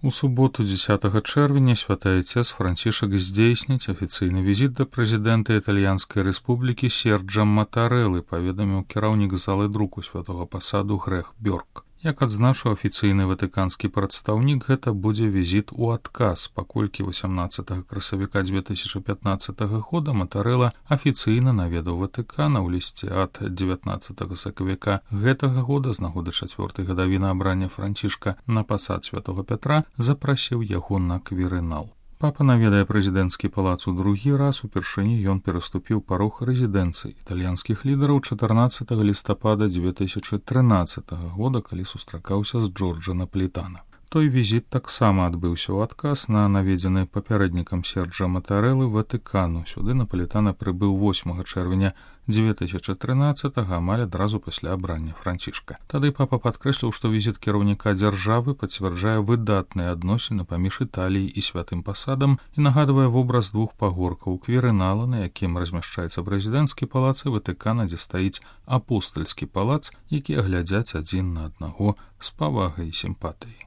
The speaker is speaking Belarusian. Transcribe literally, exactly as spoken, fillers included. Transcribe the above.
У суботу дзесятага чэрвеня святы айцец Францішак здзейсніць афіцыйны візіт да прэзідэнта Італьянскай рэспублікі Серджа Матарэлы, паведаміў кіраўнік залы друку святога пасаду Грэх Бёрк. Як адзначыў афіцыйны ватыканскі прадстаўнік, гэта будзе візіт у адказ, паколькі васямнаццатага красавіка дзве тысячы пятнаццатага года Матарэла афіцыйна наведаў Ватыкана. У лісце ад дзевятнаццатага сакавіка гэтага года з нагоды чацвёртай гадавіны абрання Францішка на пасад святога Пятра запрасіў яго на квірынал. Папа наведае прэзідэнцкі палац у другі раз, упершыню ён пераступіў парог рэзідэнцыі італьянскіх лідараў чатырнаццатага лістапада дзве тысячы трынаццатага года, калі сустракаўся з Джорджа Наполітана. Той візіт таксама адбыўся ў адказ на наведзены папярэднікам Серджа Матарэлы Ватыкану. Сюды Наполітана прыбыў восьмага чэрвеня дзве тысячы трынаццатага, амаль адразу пасля абрання Францішка. Тады папа падкрэсліў, што візіт кіраўніка дзяржавы пацвярджае выдатныя адносіны паміж Італіяй і святым пасадам і нагадвае вобраз двух пагоркаў квірынала, на якім размяшчаецца прэзідэнцкі палац і Ватыкана, дзе стаіць апостальскі палац, якія глядзяць адзін на аднаго з павагай і сімпатыяй.